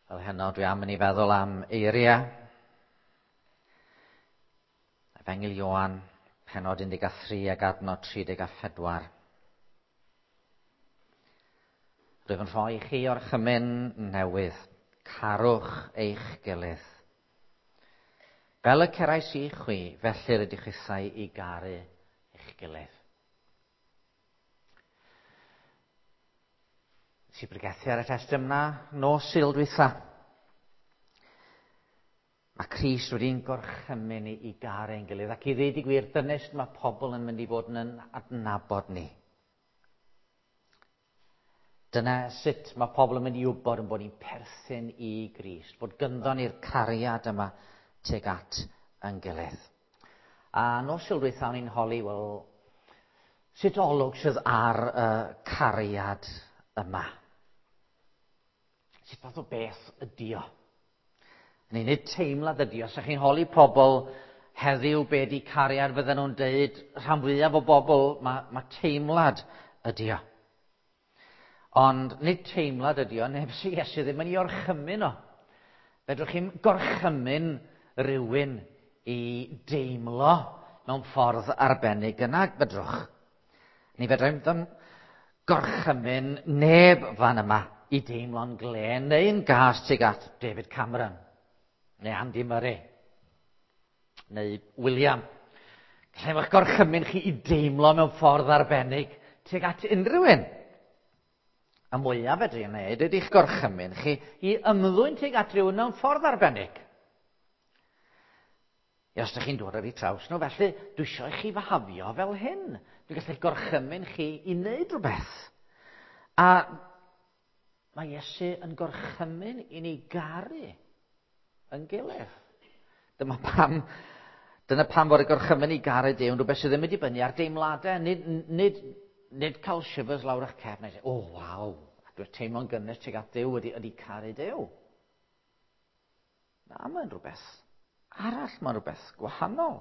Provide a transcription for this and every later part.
Wel heno dwi am i ni feddwl am eiriau. Efengyl Ioan, penod 13 ac adnod 34. Rwyf yn rhoi chi orchymyn newydd. Carwch eich gilydd. Fel y cerais i chwi, felly rydych chithau i garu eich gilydd. Nes i bregethu ar y testun yna nos Sul dwytha. Mae Crist wedi'n gorchymyn ni i garu ein gilydd ac i ddweud y gwir, dyna sut mae pobl yn mynd i fod yn adnabod ni. Dyna sut mae pobl yn mynd i wybod yn bod ni'n perthyn i Grist, bod gynddo ni'r cariad yma tuag at yn gilydd. A nos Sul dwytha o'n i'n holi, wel, sut olwg sydd ar y cariad yma? Sut fath o beth ydi o? Neu nid teimlad ydi o. Os ydych chi'n holi pobl heddiw be di cariad, fydden nhw'n deud rhan fwyaf o bobl, mae, mae teimlad ydi o. Ond nid teimlad ydi o, neb sy'n Iesu ddim yn ei orchymyn o. Fedrwch chi'm gorchymyn rhywun i deimlo mewn ffordd arbennig yna, fedrwch. Ni fedra i'm ddim gorchymyn neb fan yma i deimlo'n glên neu'n gas tuag at David Cameron, neu Andy Murray, neu William. Gallai eich gorchymyn chi i deimlo mewn ffordd arbennig tuag at unrhyw un. Y mwyaf fedru ei wneud ydy'ch gorchymyn chi i ymddwyn tuag at rhywun mewn ffordd arbennig. Ie, os ydych chi'n dod ar eu traws nhw, felly dwi eisiau i chi fahafio fel hyn. Dwi'n gallu gorchymyn chi i wneud rhywbeth. A mae Iesu yn gorchymyn i ni garu yn gilydd. Dyma pam, dyna pam fod y gorchymyn i garu Duw yn rhywbeth sydd ddim yn dibynnu ar deimladau, nid, nid, nid cael shivers lawr eich cefn a dweud, oh, waw, dwi'n teimlo'n gynnes tuag at Duw ydy, ydy caru Duw. Na, mae'n rhywbeth arall, mae'n rhywbeth gwahanol.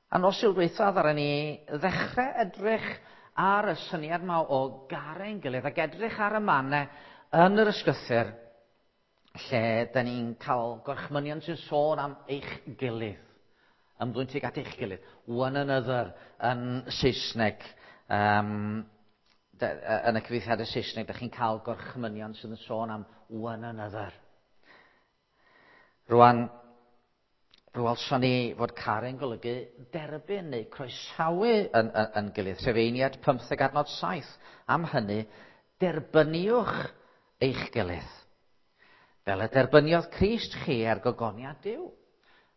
A nos Sul dwytha, ddaru ni ddechrau edrych ar y syniad yma o garu'n gilydd ac edrych ar y mannau yn yr ysgrythur lle da ni'n cael gorchmynion sy'n sôn am eich gilydd. Ymddwyn tuag at eich gilydd. One another yn Saesneg. Um, yn y cyfieithiadau Saesneg, da chi'n cael gorchmynion sydd yn sôn am one another. Rwan, fe welson ni fod caru'n golygu derbyn neu croesawu yn, yn, yn gilydd. Rhufeiniad 15 adnod 7. Am hynny, derbyniwch eich gilydd. Fel y derbyniodd Crist chi er gogoniad Duw.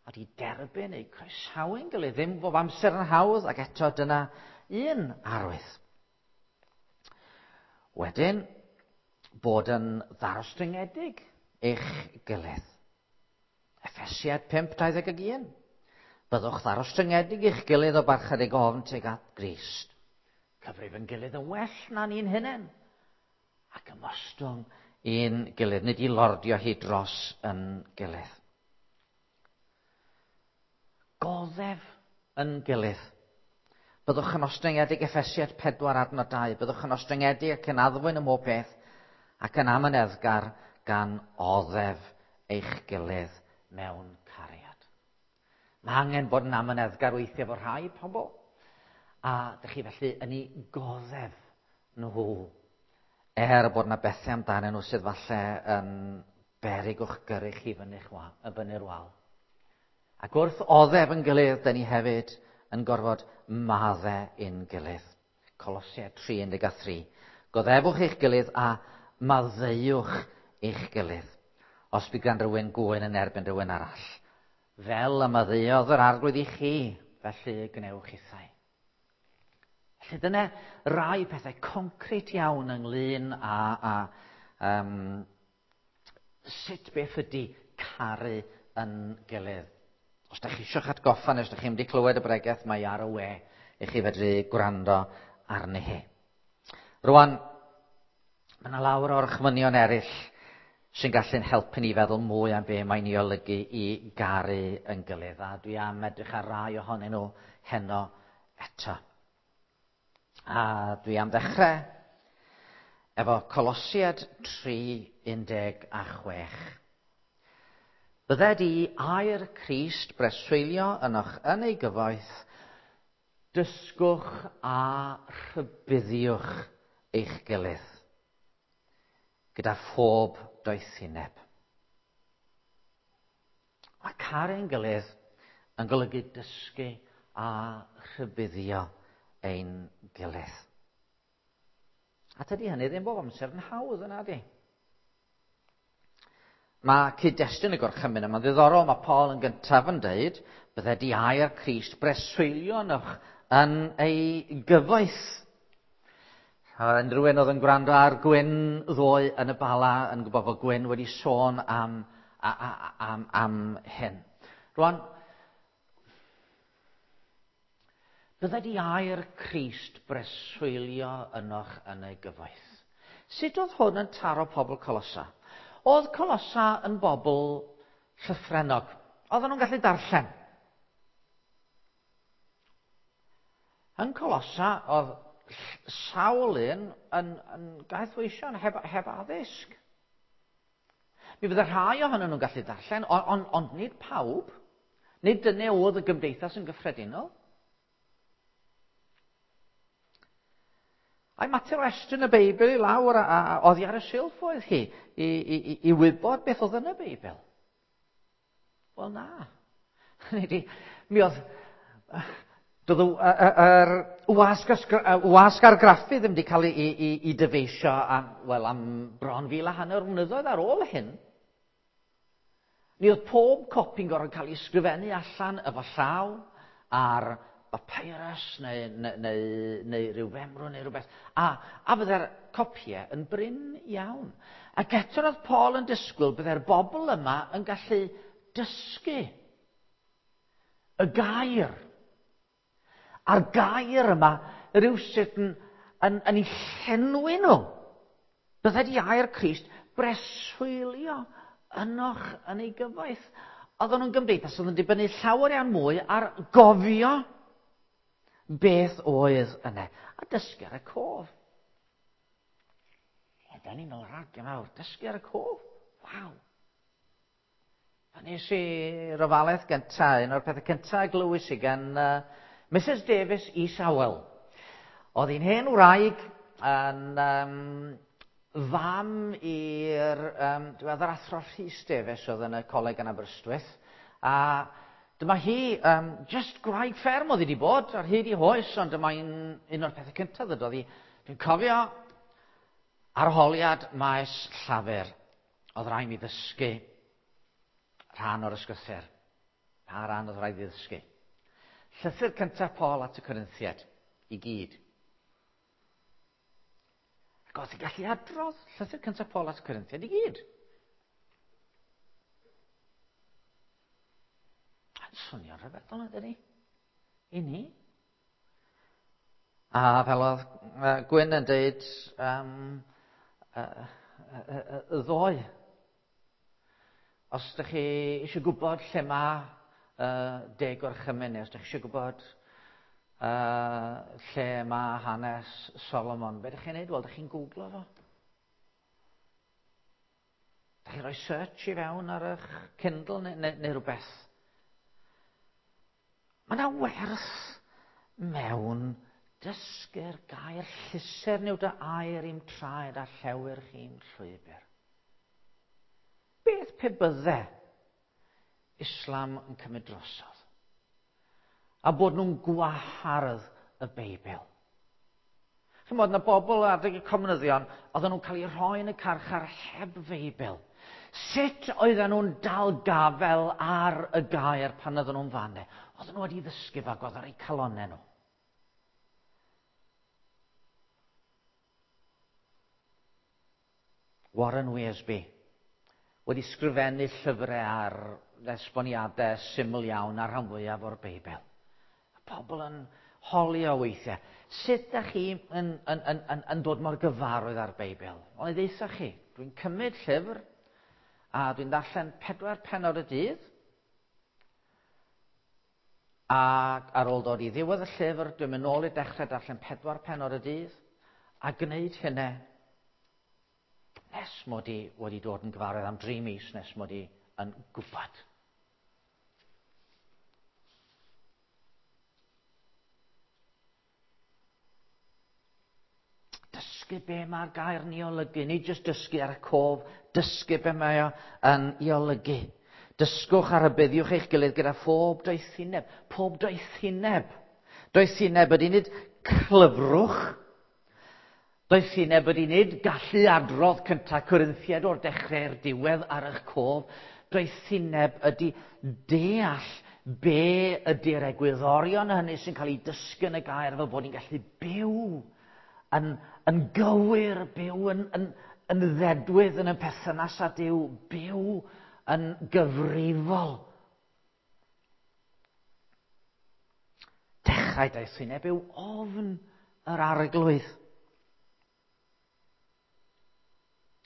A di derbyn eu croesawu'n gilydd ddim bob amser yn hawdd ac eto dyna un arwydd. Wedyn, bod yn ddarostyngedig eich gilydd. Effesiad 5:21. Byddwch ddarostyngedig i'ch gilydd o barchedig ofn tuag at Grist. Cyfrif yn gilydd yn well na ni'n hunain. Ac ymostwng i'n gilydd, nid i lordio hi dros yn gilydd. Goddef yn gilydd. Byddwch yn ostyngedig Effesiad 4 adnod 2. Byddwch yn ostyngedig ac yn addfwyn ym mhob peth ac yn amyneddgar gan oddef eich gilydd mewn cariad. Mae angen bod yn amyneddgar weithiau efo rhai pobl. A dych chi felly yn ei goddef nhw. Er bod yna bethau amdanyn nhw sydd falle yn beryg o'ch gyrru chi fyny'r wal. Ac wrth oddef yn gilydd, dyn ni hefyd yn gorfod madde ein gilydd. Colosiaid 3:13. Goddefwch eich gilydd a maddeuwch eich gilydd. Os bydd gan rywun gŵyn yn erbyn rhywun arall. Fel y maddeuodd yr Arglwydd i chi, felly gwnewch chithau. Felly dyna rai pethau concret iawn ynglyn â, â um, sut beth ydy caru yn gilydd. Os da chi eisiau'ch atgoffa neu os da chi'n mynd i clywed y bregeth, mae ar y we i chi fedru gwrando arni hi. Rwan, mae yna lawer o'r orchmynion eraill sy'n gallu'n helpu ni feddwl mwy am be mae'n ei olygu i garu yn gilydd, a dwi am edrych ar rai ohonyn nhw heno eto. A dwi am ddechrau efo Colosiad 3:16. Bydded i air Crist breswylio ynoch yn ei gyfoeth, dysgwch a rhybuddiwch eich gilydd gyda phob doethineb. Mae caru'n gilydd yn golygu dysgu a rhybuddio ein gilydd. A tydi hynny ddim bob amser yn hawdd yna di. Mae cyd-destun y gorchymyn yma'n ddiddorol. Mae Paul yn gyntaf yn dweud, bydde di air Crist breswylio ynoch yn ei gyfoeth. Unrhyw un oedd yn gwrando ar Gwyn ddoe yn y Bala yn gwybod fod Gwyn wedi sôn am, am, am hyn. Rwan, bydde di air Crist breswylio ynoch yn ei gyfoeth. Sut oedd hwn yn taro pobl Colossa? Oedd Colossa yn bobl llythrennog. Oedden nhw'n gallu darllen. Yn Colossa, oedd sawl un yn, yn gaethweision heb, heb addysg. Mi fydde rhai ohonyn nhw'n gallu darllen, ond on, ond nid pawb. Nid dyna oedd y gymdeithas yn gyffredinol. Ai mater o estyn y Beibl i lawr a, a oddi ar y silff oedd hi i, i, i, i wybod beth oedd yn y Beibl? Wel na. Hynny ydi, mi oedd... Doedd yr wasg, wasg argraffu ddim wedi cael ei, ei, ei, ei dyfeisio am, wel, am bron fil a hanner flynyddoedd ar ôl hyn. Mi oedd pob copi'n gorfod cael ei sgrifennu allan efo llaw ar papyrus neu, neu, neu, neu rhyw femrwn neu rhywbeth. A, a fydde'r copiau yn brin iawn. Ac eto roedd Paul yn disgwyl bydde'r bobl yma yn gallu dysgu y gair. A'r gair yma rhywsut yn, yn, yn ei llenwi nhw. Bydde di air Crist breswylio ynoch yn ei gyfoeth. Oedden nhw'n gymdeithas oedd yn dibynnu llawer iawn mwy ar gofio beth oedd yna. A dysgu ar y cof. A da ni'n ôl ragio mawr. Dysgu ar y cof. Waw. Pan nes i rofalaeth gyntaf, un o'r pethau cyntaf a glywys i gan uh, Mrs Davies East Awel. Oedd hi'n hen wraig yn um, fam i'r um, diweddar athro Rhys Davies oedd yn y coleg yn Aberystwyth. A dyma hi, um, just gwraig fferm oedd hi wedi bod ar hyd i hoes, ond dyma un, un o'r pethau cyntaf ddydodd hi. Dwi'n cofio arholiad maes llafur. Oedd rhaid mi ddysgu rhan o'r ysgrythur. Pa ran oedd rhaid i ddysgu? Llythyr cyntaf Paul at y Corinthiad, i gyd. Ac oedd hi'n gallu adrodd llythyr cyntaf Paul at y Corinthiad i gyd. Yn swnio'n rhyfeddol, ydy ni? I ni. A fel oedd Gwyn yn dweud um, ddoe, os ydych chi eisiau gwybod lle mae deg gorchymyn, neu os ydych chi eisiau gwybod lle mae hanes Solomon, be ydych chi'n neud? Wel, ydych chi'n googlo fo. Ydych chi'n rhoi search i fewn ar eich Kindle neu, neu, neu rhywbeth. Mae yna werth mewn dysgu'r gair llusern yw dy air i'm traed a llewyrch i'm llwybr. Beth pe bydde Islam yn cymryd drosodd? A bod nhw'n gwahardd y Beibl. Chymod, na bobl adeg y comunyddion, oedden nhw'n cael eu rhoi yn y carchar heb Feibl. Sut oedden nhw'n dal gafel ar y gair pan oedden nhw'n fanne? Oedden nhw wedi ddysgu fe ac oedd ar eu calonnau nhw. Warren Wiersbe wedi sgrifennu llyfrau ar esboniadau syml iawn ar rhan fwyaf o'r Beibl. A pobl yn holio weithiau, sut ydych chi yn, yn, yn, yn, yn dod mor gyfarwydd â'r Beibl? Wel, i ddeitha chi, dwi'n cymryd llyfr a dwi'n darllen pedwar pennod y dydd, ac ar ôl dod i ddiwedd y llyfr, dwi'n mynd nôl i dechrau darllen pedwar pennod y dydd, a gwneud hynny Nes mod i wedi dod yn gyfarwydd am 3 mis nes mod i yn gwybod. Dysgu be mae'r gair yn ei olygu. Nid jyst dysgu ar y cof, dysgu be mae o yn ei olygu. Dysgwch a rhybuddiwch eich gilydd gyda phob doethineb. Pob doethineb. Doethineb ydy nid clyfrwch. Doethineb ydy nid gallu adrodd cyntaf Corinthiaid o'r dechrau i'r diwedd ar eich cof. Doethineb ydy deall be ydy'r egwyddorion hynny sy'n cael ei dysgu yn y gair fel bod ni'n gallu byw yn gywir, byw yn ddedwydd yn y perthynas â Duw, byw yn gyfrifol. Dechrau doethineb yw ofn yr Arglwydd.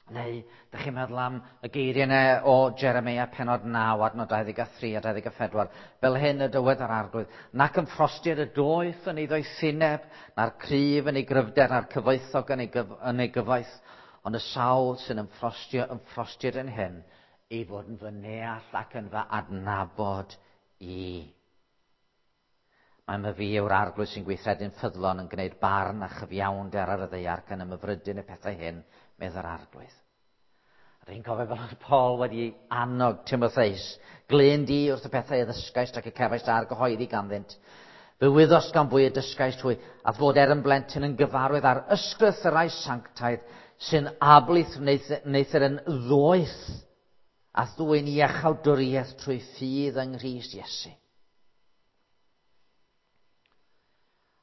Neu, dych chi'n meddwl am y geiriau yna o Jeremia pennod 9, adnod 23 a 24. Fel hyn y dywed yr Arglwydd, nac yn ffrostiad y doeth yn ei ddoethineb, na'r cryf yn ei gryfder, na'r cyfoethog yn ei gyfoeth, ond y sawl sy'n ymffrostio, ymffrostiad yn hyn, ei fod yn fy neall ac yn fy adnabod i. Mae my fi yw'r Arglwydd sy'n gweithredu'n ffyddlon yn gwneud barn a chyfiawnder ar y ddaear gan ymhyfrydu'n y pethau hyn, medd yr Arglwydd. A dwi'n cofio fel oedd Paul wedi annog Timotheus, glyn di wrth y pethau a ddysgaist ac y cefaist argyhoeddi ganddynt. Fe wyddost gan fwy y dysgaist hwy, a fod er yn blentyn yn gyfarwydd ar ysgrythurau sanctaidd sy'n abl i'th wneuthur yn ddoeth a ddwyn iachawdwriaeth trwy ffydd yng Nghrist Iesu.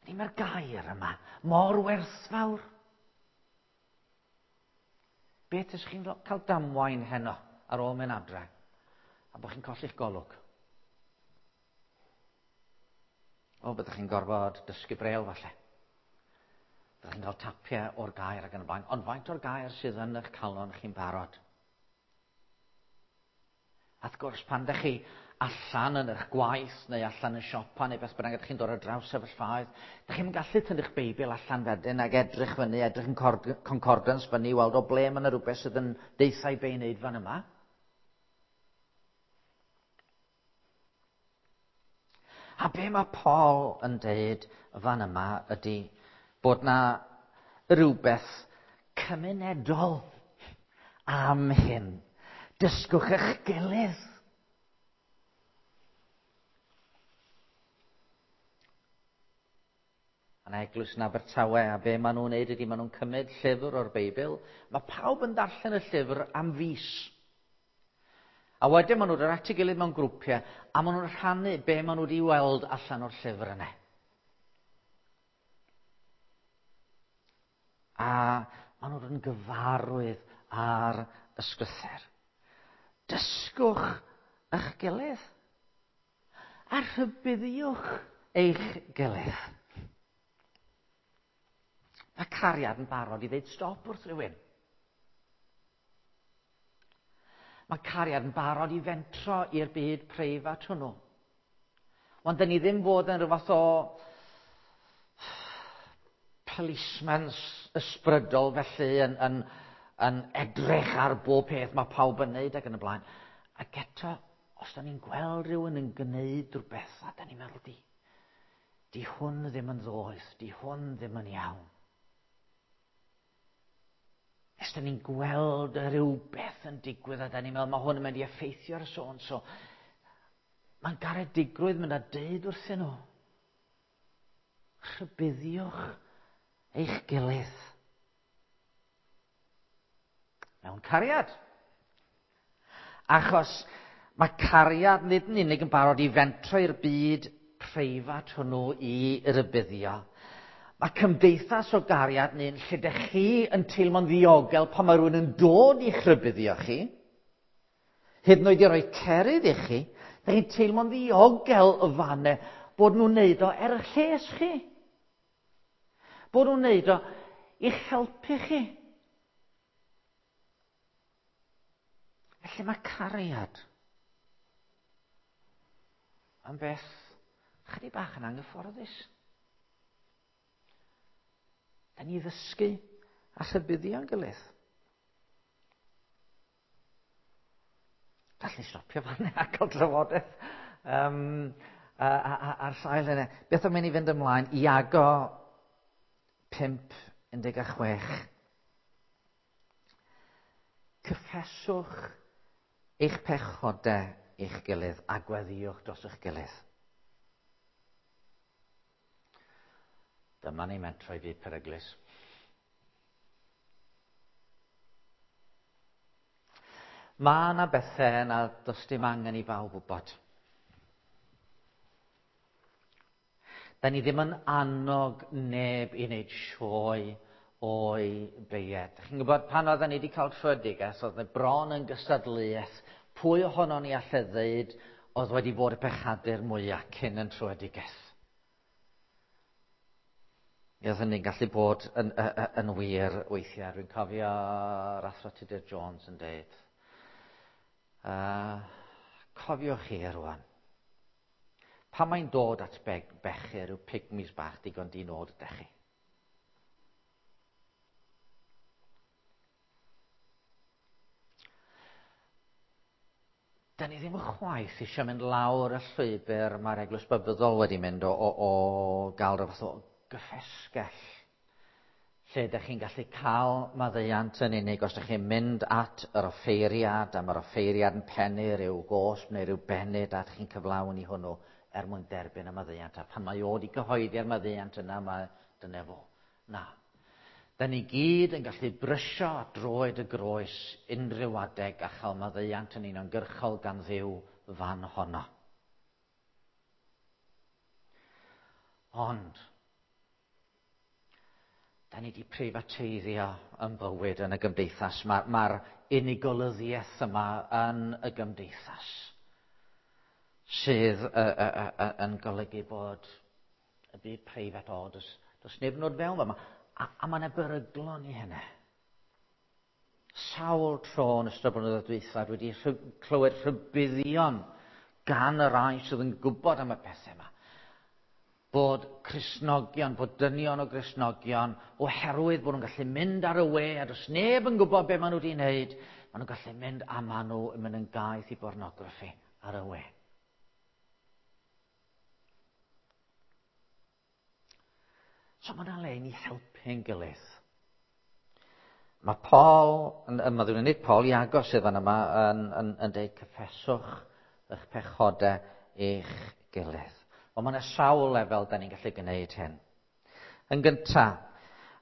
Ydy mae'r gair yma mor werthfawr. Beth ys chi'n cael damwain heno ar ôl mynd adre a bod chi'n colli'ch golwg? O, byddwch chi'n gorfod dysgu brel falle. Byddwch chi'n cael tapiau o'r gair ac yn y blaen. Ond faint o'r gair sydd yn eich calon chi'n barod? A wrth gwrs, pan ydych chi allan yn eich gwaith neu allan yn siopa neu beth bynnag ydych chi'n dod ar draws sefyllfaoedd, ydych chi'n gallu tynnu'ch Beibl allan wedyn ac edrych fyny, edrych yn concordance fyny i weld o ble mae yna rhywbeth sydd yn deutha i be i wneud fan yma. A be mae Paul yn deud fan yma ydy bod na rhywbeth cymunedol am hyn. Dysgwch eich gilydd. Yn eglwys yn Abertawe, a be maen nhw'n neud ydy maen nhw'n cymryd llyfr o'r Beibl. Mae pawb yn darllen y llyfr am fis. A wedyn maen nhw'n dod at ei gilydd mewn grwpiau, a maen nhw'n rhannu be maen nhw wedi weld allan o'r llyfr yna. A maen nhw'n dod yn gyfarwydd ar ysgrythur. Dysgwch eich gilydd. A rhybuddiwch eich gilydd. Mae cariad yn barod i ddeud stop wrth rhywun. Mae cariad yn barod i fentro i'r byd preifat hwnnw. Ond dyn ni ddim fod yn rhyw fath o policeman ysbrydol felly yn edrych ar bob peth mae pawb yn neud ac yn y blaen. Ac eto, os da ni'n gweld rhywun yn gwneud rhywbeth, a da ni'n meddwl, di hwn ddim yn ddoeth, di hwn ddim yn iawn. Os da ni'n gweld rhywbeth yn digwydd a da ni'n meddwl, mae hwn yn mynd i effeithio ar y so and so. Mae'n garedigrwydd mynd a deud wrthyn nhw. Rhybuddiwch eich gilydd. Mewn cariad. Achos mae cariad nid yn unig yn barod i fentro i'r byd preifat hwnnw i rybuddio. Mae cymdeithas o gariad yn un lle dych chi yn teimlo'n ddiogel pan mae rhywun yn dod i'ch rhybuddio chi, hyd yn oed i roi cerydd i chi, dych chi'n teimlo'n ddiogel y fanne bod nhw'n neud o er eich lles chi. Bod nhw'n neud o i'ch helpu chi. Felly mae cariad yn beth chydig bach yn anghyfforddus. Da ni ddysgu a rhybuddio'n gilydd. Gallu stopio fan a cael drafodaeth ar sail yna. Beth am i ni fynd ymlaen? Iago 5:16. Cyffeswch eich pechodau eich gilydd a gweddïwch dros eich gilydd. Dyma ni mentro i fyd peryglus. Mae yna bethau na does dim angen i bawb wybod. Da ni ddim yn annog neb i wneud sioe o'i beied. Chi'n gwybod, pan oedden ni wedi cael tröedigaeth, oedd bron yn gystadleuaeth, pwy ohonon ni allai ddeud oedd wedi bod y pechadur mwyaf cyn yn tröedigaeth? Mi oedd hynny'n gallu bod yn wir weithiau. Dwi'n cofio'r Athro Tudur Jones yn deud, cofiwch chi rwan, pan mae'n dod at bechu, rhyw pygmies bach digon di-nod ydych chi. Da ni ddim chwaith eisiau mynd lawr y llwybr mae'r Eglwys Babyddol wedi mynd o gael rhyw fath o gyffesgell, lle ydych chi'n gallu cael maddeuant yn unig os ydych chi'n mynd at yr offeiriad, a mae'r offeiriad yn pennu rhyw gosb neu rhyw benyd a ydych chi'n cyflawni hwnnw er mwyn derbyn y maddeuant. A pan mae o wedi cyhoeddi'r maddeuant yna, mae dyna fo. Na. Da ni gyd yn gallu brysio at droed y groes unrhyw adeg a chael maddeuant yn uniongyrchol gan Dduw fan honno. Ond, da ni wedi preifateiddio yn bywyd yn y gymdeithas. Mae'r unigolyddiaeth yma yn y gymdeithas sydd yn golygu bod y byd preifat, o, does neb yn dod fewn fama. A mae yna beryglon i hynny. Sawl tro yn ystod blynyddoedd dwytha dwi wedi clywed rhybuddion gan y rai sydd yn gwybod am y pethau yma. Bod Cristnogion, bod dynion o Gristnogion, oherwydd bod nhw'n gallu mynd ar y we a does neb yn gwybod be maen nhw wedi wneud, maen nhw'n gallu mynd a maen nhw yn mynd yn gaeth i bornograffi ar y we. So mae yna le i ni helpu'n gilydd. Mae Paul, mae ddyn nid Paul, Iago sydd fan yma yn dweud cyffeswch eich pechodau eich gilydd. Ond mae yna sawl lefel da ni'n gallu gwneud hyn. Yn gyntaf,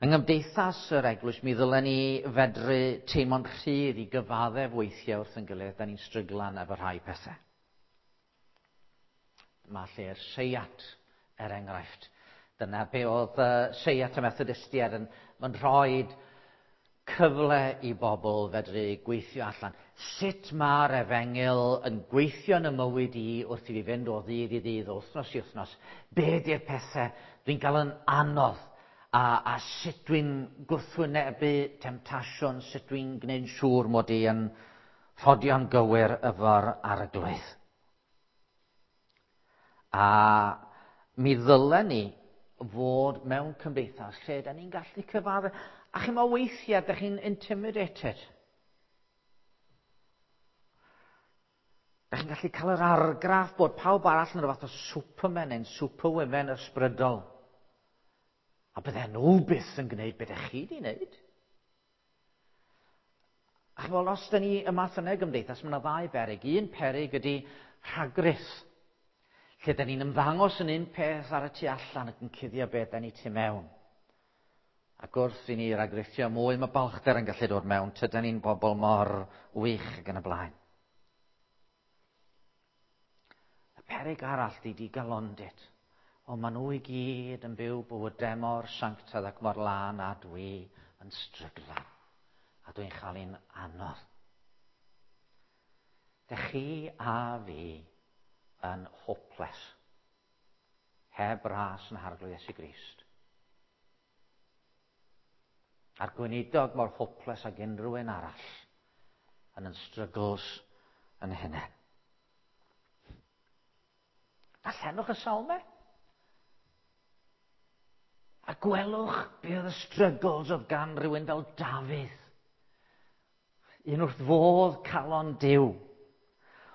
yng nghymdeithas yr eglwys, mi ddylen ni fedru teimlo'n rhydd i gyfaddef weithiau wrth yn gilydd, da ni'n stryglan efo rhai pethau. Mae lle'r seiat, er enghraifft. Dyna be oedd seiat y Methodistiaid yn rhoi cyfle i bobl fedru gweithio allan. Sut mae'r efengyl yn gweithio yn y mywyd i wrth i fi fynd o ddydd i ddydd, o wythnos i wythnos? Be ydy'r pethau dwi'n cael yn anodd? A sut dwi'n gwrthwynebu temtasiwn? Sut dwi'n gwneud yn siŵr mod i yn rhodio'n gywir efo'r arglwydd? A mi ddylen ni fod mewn cymdeithas lle da ni'n gallu cyfadde. A chi'n meddwl weithiau, da chi'n intimidated. Da chi'n gallu cael yr argraff bod pawb arall yn rhywbeth o supermen neu'n superwomen ysbrydol. A bydden nhw byth yn gwneud beth ydych chi wedi wneud. A chi'n meddwl, os da ni y math yna o gymdeithas, mae yna ddau beryg. Un peryg ydy rhagrith, lle da ni'n ymddangos yn un peth ar y tu allan ac yn cuddio beth da ni tu mewn. Ac wrth i ni ragrithio mwy, mae balchder yn gallu dod mewn. Tydan ni'n bobl mor wych ac yn y blaen. Y peryg arall di digalondid. O, maen nhw i gyd yn byw bywydau mor sanctaidd ac mor lân a dwi yn stryglan. A dwi'n chael un anodd. Dych chi a fi yn hopeless. Heb ras yn Harglwydd Iesu Grist. A'r gweinidog mor hopeless ag unrhyw un arall yn struggles yn hynny. Darllenwch y salmau. A gwelwch be oedd y struggles oedd gan rhywun fel Dafydd. Un wrth fodd calon Duw.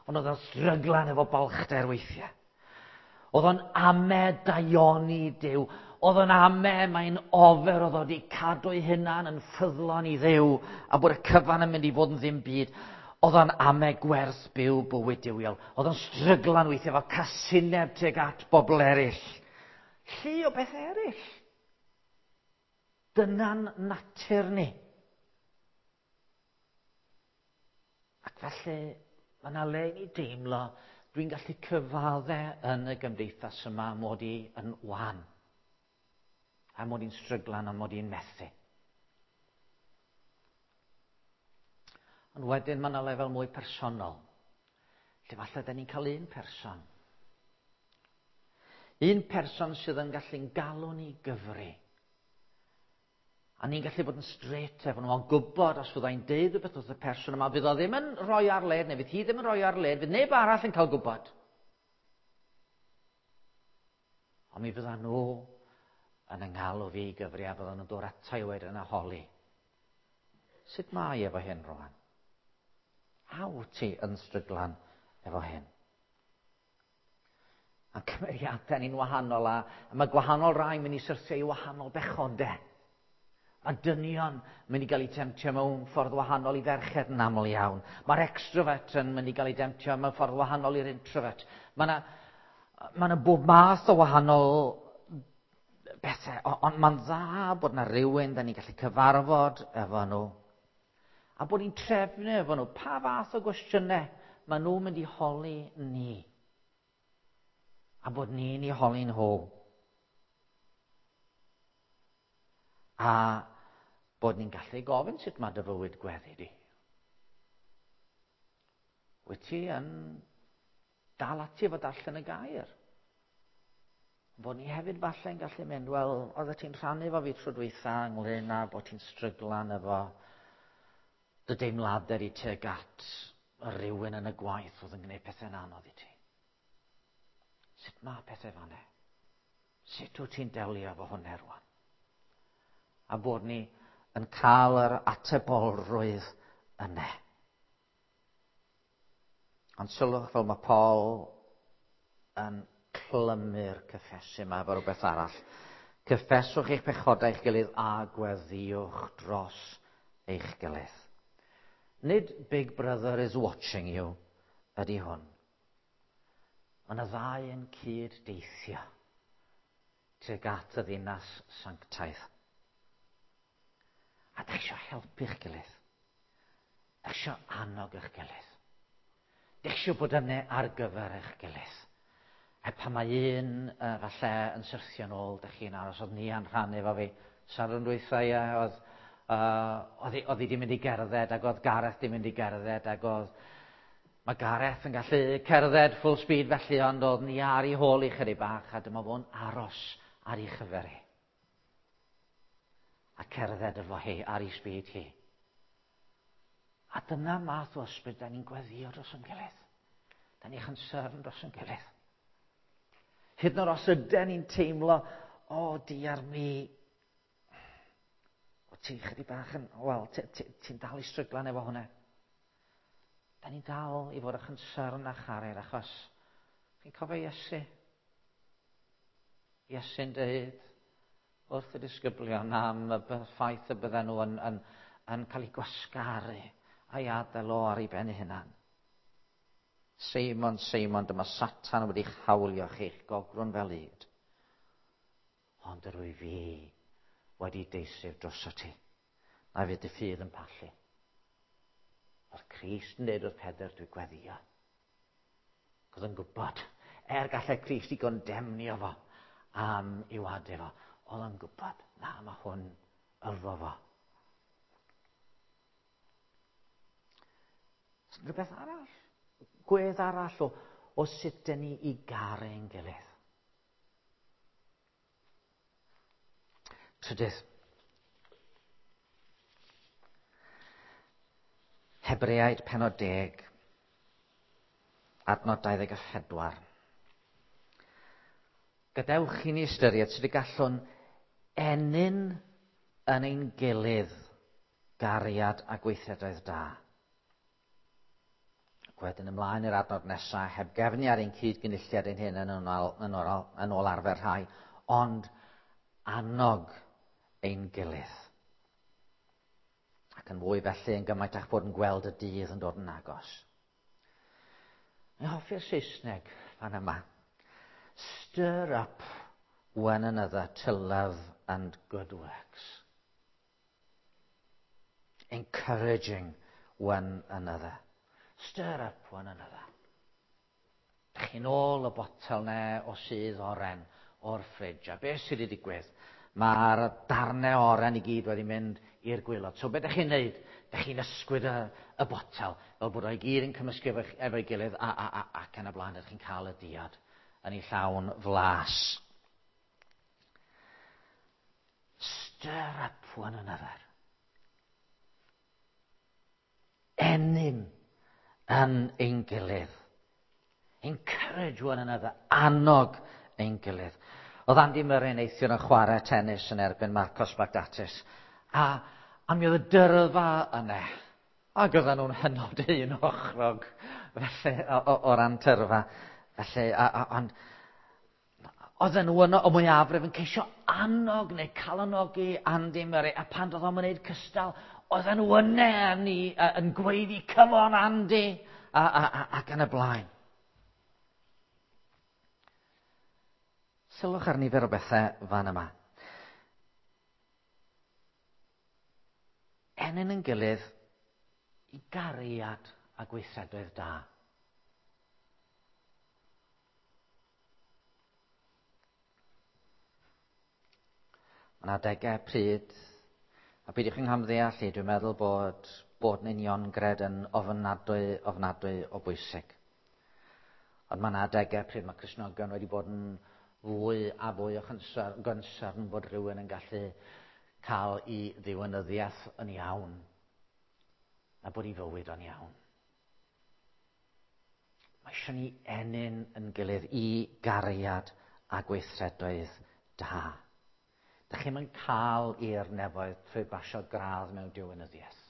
Ond oedd o'n stryglan efo balchder weithiau. Oedd o'n ame daioni Duw. Oedd o'n ame mae'n ofer oedd o wedi cadw ei hunan yn ffyddlon i Dduw a bod y cyfan yn mynd i fod yn ddim byd. Oedd o'n ame gwerth byw bywyd duwiol. Oedd o'n stryglan weithiau efo casineb tuag at bobl eraill. Llu o beth eraill. Dyna'n natur ni. Ac felly, mae yna le i ni deimlo dwi'n gallu cyfadde yn y gymdeithas yma mod i yn wan. A mod i'n stryglan a mod i'n methu. Ond wedyn mae yna lefel mwy personol. Lle falle da ni'n cael un person. Un person sydd yn gallu'n galw ni gyfri. A ni'n gallu bod yn straight efo nhw, ond gwybod os fyddai'n deud rhywbeth wrth y person yma, fydd o ddim yn rhoi ar led, neu fydd hi ddim yn rhoi ar led, fydd neb arall yn cael gwybod. Ond mi fydda nhw yn yng ngalw fi i gyfri a fyddan nhw'n dod ata i wedyn a holi. Sut mae efo hyn rwan? A wyt ti yn stryglan efo hyn? A'n cymeriadau ni'n wahanol a mae gwahanol rai mynd i syrthio i wahanol bechodau. Mae dynion mynd i gael eu temtio mewn ffordd wahanol i ferched yn aml iawn. Mae'r extrovert yn mynd i gael ei demtio mewn ffordd wahanol i'r introvert. Mae yna ma 'na bob math o wahanol bethau, ond mae'n dda bod yna rhywun da ni'n gallu cyfarfod efo nhw. A bod ni'n trefnu efo nhw pa fath o gwestiynau maen nhw'n mynd i holi ni. A bod ni'n eu holi nhw. A bod ni'n gallu gofyn sut mae dy fywyd gweddi di. Wyt ti yn dal ati efo darllen y gair? Bod ni hefyd falle yn gallu mynd, wel, oeddet ti'n rhannu efo fi tro dwytha ynglyn â bod ti'n stryglan efo dy deimladau i tuag at rhywun yn y gwaith oedd yn gwneud pethau'n anodd i ti. Sut mae pethau fan'na? Sut wyt ti'n delio efo hwnna rwan? A bod ni yn cael yr atebolrwydd yna. Ond sylwch fel mae Paul yn clymu'r cyffesu yma efo rhywbeth arall. Cyffeswch eich pechodau eich gilydd a gweddïwch dros eich gilydd. Nid Big Brother is watching you ydy hwn. Mae yna ddau yn cyd-deithio tuag at y ddinas sanctaidd. A da eisiau helpu'ch gilydd. Da eisiau annog eich gilydd. Da eisiau bod yna ar gyfer eich gilydd. A pan mae un falle yn syrthio nôl, da chi'n aros, oedd ni yn rhannu efo fi. Sadwrn dwytha, ie, oedd, oedd, oedd hi wedi mynd i gerdded, ac oedd Gareth wedi mynd i gerdded, ac oedd mae Gareth yn gallu cerdded full speed felly, ond oedd ni ar ei hôl i chydig bach, a dyma fo'n aros ar ei chyfer hi. A cerdded efo hi ar ei speed hi. A dyna math o ysbryd da ni'n gweddio dros yn gilydd. Da ni'n concern dros yn gilydd. Hyd yn oed os yden ni'n teimlo, o, oh, diar mi, o ti chydig bach yn, wel, ti'n ti, ti dal i stryglan efo hwnna. Da ni'n dal i fod â concern a charer, achos chi'n cofio Iesu? Iesu'n dweud wrth y disgyblion am y ffaith y bydden nhw yn, yn, yn cael eu gwasgaru a'i adael o ar ei ben ei hunan. Seimon, Seimon, dyma Satan wedi'ch hawlio chi'ch gogrwn fel ŷd. Ond yr wyf fi wedi deisyf drosot ti. Na fydd dy ffydd yn pallu. Oedd Crist yn dweud wrth Pedr, dwi gweddio. Oedd yn gwybod, er gallai Crist i gondemnio fo am i'w ade fo, oedd yn gwybod, na, mae hwn efo fo. Rhywbeth arall, gwedd arall o, o sut dyn ni i garu ein gilydd. Trydydd. Hebreaid penod 10, adnod 24. Gadewch i ni ystyried sut y gallwn ennyn yn ein gilydd gariad a gweithredoedd da. Ac wedyn ymlaen i'r adnod nesaf, heb gefnu ar ein cyd-gynulliad ein hunain yn ôl arfer rhai, ond annog ein gilydd. Ac yn fwy felly yn gymaint â'ch bod yn gweld y dydd yn dod yn agos. Dwi'n hoffi'r Saesneg fan yma. Stir up one another to love and good works. Encouraging one another. Stir up one another. Dych chi'n ôl y botel ne o sudd oren o'r ffridge. A beth sydd wedi digwydd? Mae'r darnau oren i gyd wedi mynd i'r gwaelod. So beth ydych chi'n neud? Dych chi'n ysgwyd y botel fel bod o'i gyd yn cymysgu efo'i gilydd ac yn y blaen. Ydych chi'n cael y diod yn ei llawn flas. Stir up one another. Ennyn yn ein gilydd. Encourage one another. Annog ein gilydd. Oedd Andy Murray neithiwr yn chwarae tennis yn erbyn Marcos Baghdatis. A mi oedd y dyrfa yna. Ac oedden nhw'n hynod un ochrog felly, o ran tyrfa. Felly, ond oedden nhw yno o mwyafrif yn ceisio annog neu calonogi Andy Murray. A pan doedd o'm yn gwneud cystal, oedden nhw yna yn gweiddi, "Come on, Andy!" Ac yn y blaen. Sylwch ar nifer o bethau fan yma. Ennyn yn gilydd i gariad a gweithredoedd da. Mae yna adegau pryd, a peidiwch yng nghamddeall i, dwi'n meddwl bod yn uniongred yn ofnadwy, ofnadwy o bwysig. Ond mae yna adegau pryd mae Cristnogion wedi bod yn fwy a fwy o gynsern bod rhywun yn gallu cael i ddiwinyddiaeth yn iawn a bod i fywyd o'n iawn. Mae eisiau ni ennyn yn gilydd i gariad a gweithredoedd da. Dych chi'm yn cael i'r nefoedd trwy basio gradd mewn diwinyddiaeth.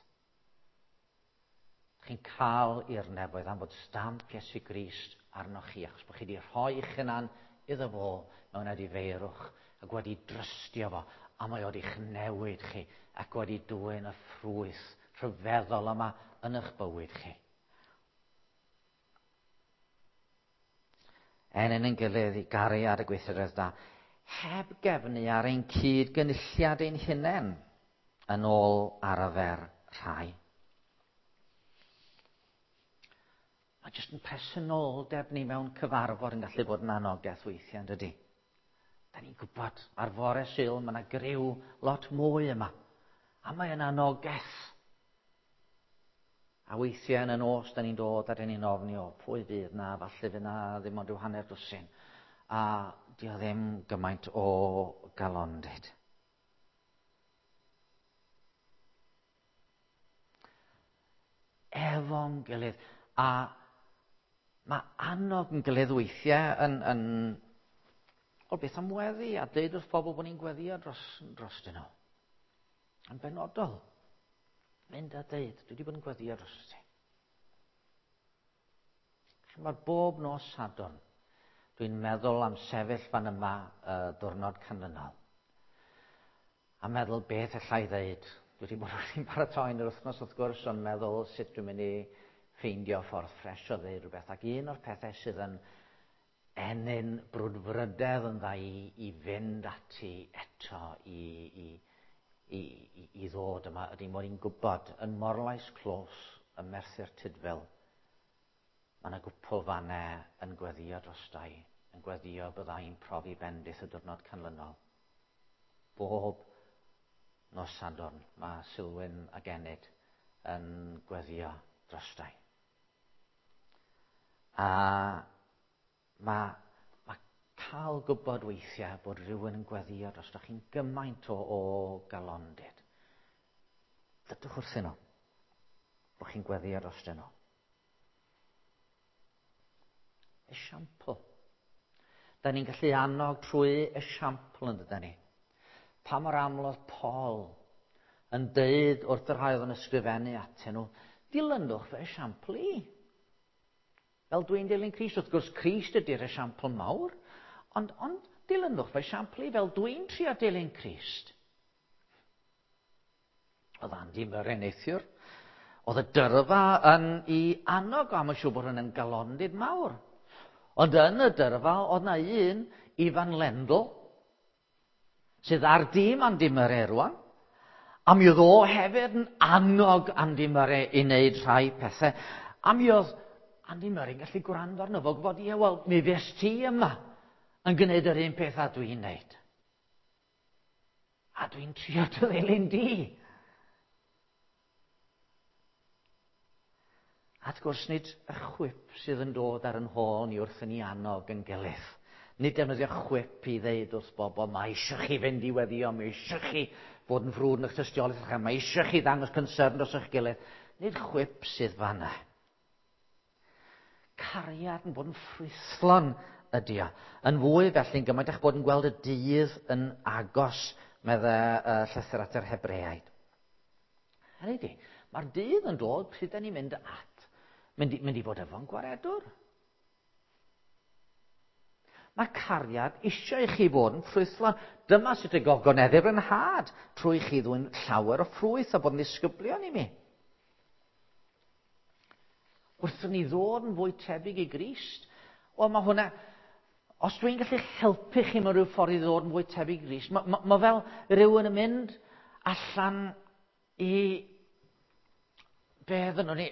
Dych chi'n cael i'r nefoedd am fod stamp Iesu Grist arnoch chi, achos bod chi wedi rhoi eich hunan iddo fo mewn edifeirwch ac wedi drystio fo, a mae o wedi'ch newid chi ac wedi dwyn y ffrwyth rhyfeddol yma yn eich bywyd chi. Ennyn yn gilydd i gariad y gweithredoedd da, heb gefnu ar ein cyd-gynulliad ein hunain yn ôl arfer rhai. Mae jyst yn presenoldeb ni mewn cyfarfod yn gallu bod yn anogaeth weithiau, yn dydy? Da ni'n gwybod ar fore Sul mae yna griw lot mwy yma. A mae yna anogaeth. A weithiau yn y nos, da ni'n dod a da ni'n ofni, o, pwy fydd na, falle fydd na ddim ond rhyw hanner dwsin. A di o ddim gymaint o galondid. Efo'n gilydd. A mae annog yn gilydd weithiau yn o beth am weddi a deud wrth bobl bod ni'n gweddio dros nhw. Yn benodol. Mynd a deud, "Dwi wedi bod yn gweddio dros ti." Chimod, bob nos Sadwrn, dwi'n meddwl am sefyll fan yma y diwrnod canlynol. A meddwl beth allai ddeud. Dwi wedi bod wrthi'n paratoi yn yr wythnos wrth gwrs, ond meddwl sut dwi'n mynd i ffeindio ffordd ffres o ddeud rhywbeth. Ac un o'r pethau sydd yn ennyn brwdfrydedd yn dda i fynd ati eto i ddod yma ydy mod i'n gwybod yn Morlais Close ym Merthyr Tudful, mae yna gwpl fanne yn gweddio drostai, yn gweddio byddai'n profi bendith y diwrnod canlynol. Bob nos Sadwrn mae Silwyn a Genid yn gweddio drostai. A mae cael gwybod weithiau bod rhywun yn gweddio drostoch chi'n gymaint o galondid. Dydwch wrthyn nhw bod chi'n gweddio drostyn nhw. Esiampl. Da ni'n gallu annog trwy esiampl, yn dydyn ni? Pa mor aml oedd Paul yn deud wrth y rhai oedd yn ysgrifennu atyn nhw, "Dilynwch fy esiampl i." Fel dwi'n dilyn Crist, wrth gwrs Crist ydy'r esiampl mawr, ond, ond dilynwch fy esiampl i fel dwi'n trio dilyn Crist. Oedd Andy Murray neithiwr. Oedd y dyrfa yn i annog o, am yn siŵr bod hwn yn galondid mawr. Ond yn y dyrfa, oedd na un, Ifan Lendl, sydd ar dîm Andy Murray rwan. A mi oedd o hefyd yn annog Andy Murray i wneud rhai pethau. A mi oedd Andy Murray yn gallu gwrando arno fo, gwybod, ie, wel, mi fues ti yma yn gwneud yr un peth a dwi'n wneud. A dwi'n trio dy ddilyn di. A wrth gwrs, nid y chwip sydd yn dod ar yn hôl ni wrth i ni annog yn gilydd. Nid defnyddio chwip i ddeud wrth bobl, mae eisiau chi fynd i weddio, mae eisiau chi fod yn frwd yn eich tystiolaeth, mae eisiau chi ddangos concern dros eich gilydd. Nid chwip sydd fanna. Cariad yn bod yn ffrwythlon ydy o. Yn fwy felly, yn gymaint eich bod yn gweld y dydd yn agos, medde llythyr at yr Hebreaid. Hynny ydi, mae'r dydd yn dod pryd da ni'n mynd at, mynd i, mynd i fod efo'n gwaredwr. Mae cariad eisiau i chi fod yn ffrwythlon. Dyma sut y gogoneddir yn had, trwy chi ddwyn llawer o ffrwyth a bod yn ddisgyblion i mi. Wrth ni ddod yn fwy tebyg i Grist, wel mae hwnna, os dwi'n gallu helpu chi mewn rhyw ffordd i ddod yn fwy tebyg i Grist, mae ma, ma fel rhywun yn mynd allan i be oedden nhw'n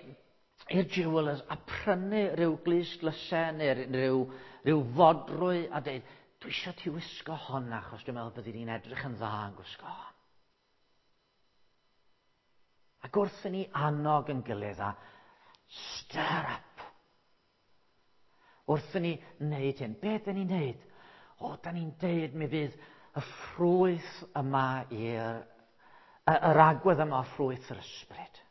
i'r jewelers a prynu rhyw glustdlysau neu rhyw, rhyw fodrwy a dweud, dwi eisiau ti wisgo hon achos dwi'n meddwl byddi di'n edrych yn dda yn gwisgo hon. Ac wrth i ni annog yn gilydd a stir up. Wrth i ni wneud hyn, be dyn ni'n wneud? O, da ni'n deud mi fydd y ffrwyth yma i'r yr agwedd yma o ffrwyth yr ysbryd.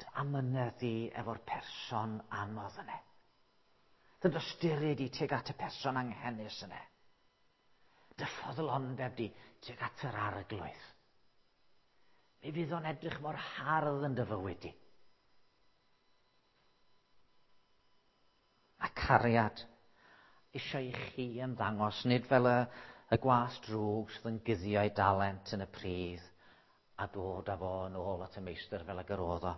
Dy amynedd di efo'r person anodd yna. Dy dosturi di tuag at y person anghenus yna. Dy ffyddlondeb di tuag at yr arglwydd. Mi fydd o'n edrych mor hardd yn dy fywyd di. A cariad eisiau i chi ymddangos, nid fel y, y gwas drwg sydd yn guddio ei dalent yn y pridd a dod â fo yn ôl at y meistr fel ag yr oedd o.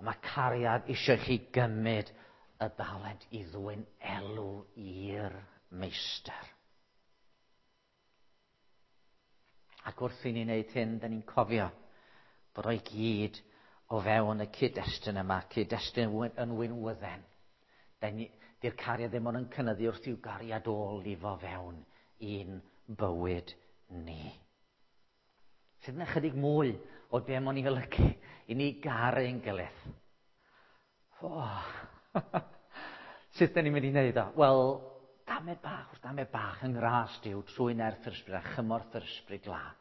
Ond mae cariad eisiau i chi gymryd y dalent i ddwyn elw i'r meistr. Ac wrth i ni wneud hyn, da ni'n cofio bod o'i gyd o fewn y cyd-destun yma, cyd-destun yn winwydden. Di'r cariad ddim ond yn cynyddu wrth i'w gariad ôl lifo fewn i'n bywyd ni. Sydd yn ychydig mwy o be mo'n i olygu i ni garu'n gilydd. Oh. Sut da ni'n mynd i wneud o? Wel, damed bach wrth damed bach yng ngras Duw trwy nerth yr ysbryd a chymorth yr ysbryd glân.